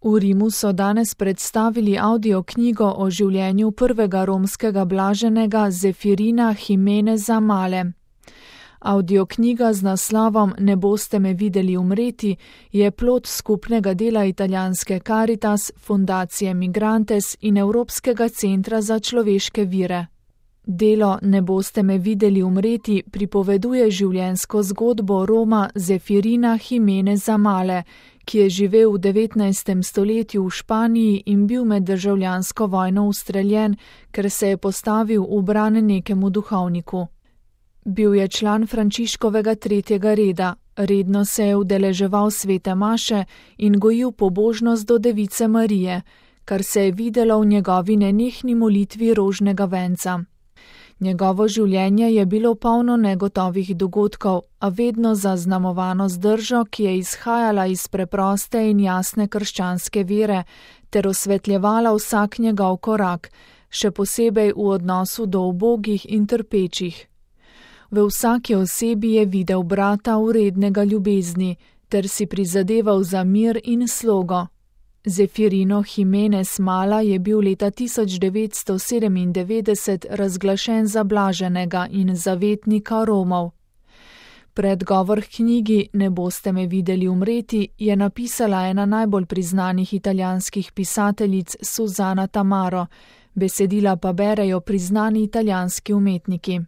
V Rimu so danes predstavili audioknjigo o življenju prvega romskega blaženega Zefirina Jimeneza Male. Audioknjiga z naslovom Ne boste me videli umreti je plod skupnega dela italijanske Caritas, fundacije Migrantes in Evropskega centra za človeške vire. Delo Ne boste me videli umreti pripoveduje življenjsko zgodbo Roma Zefirina Jimeneza Male, ki je živel v 19. stoletju v Španiji in bil med državljansko vojno ustreljen, ker se je postavil v bran nekemu duhovniku. Bil je član Frančiškovega 3. reda, redno se je udeleževal svete maše in gojil pobožnost do Device Marije, kar se je videlo v njegovi nenehni molitvi rožnega venca. Njegovo življenje je bilo polno negotovih dogodkov, a vedno zaznamovano z držo, ki je izhajala iz preproste in jasne krščanske vere, ter osvetljevala vsak njegov korak, še posebej v odnosu do ubogih in trpečih. V vsaki osebi je videl brata vrednega ljubezni, ter si prizadeval za mir in slogo. Zefirino Jimenez Mala je bil leta 1997 razglašen za blaženega in zavetnika Romov. Predgovor k knjigi Ne boste me videli umreti je napisala ena najbolj priznanih italijanskih pisateljic Susana Tamaro, besedila pa berejo priznani italijanski umetniki.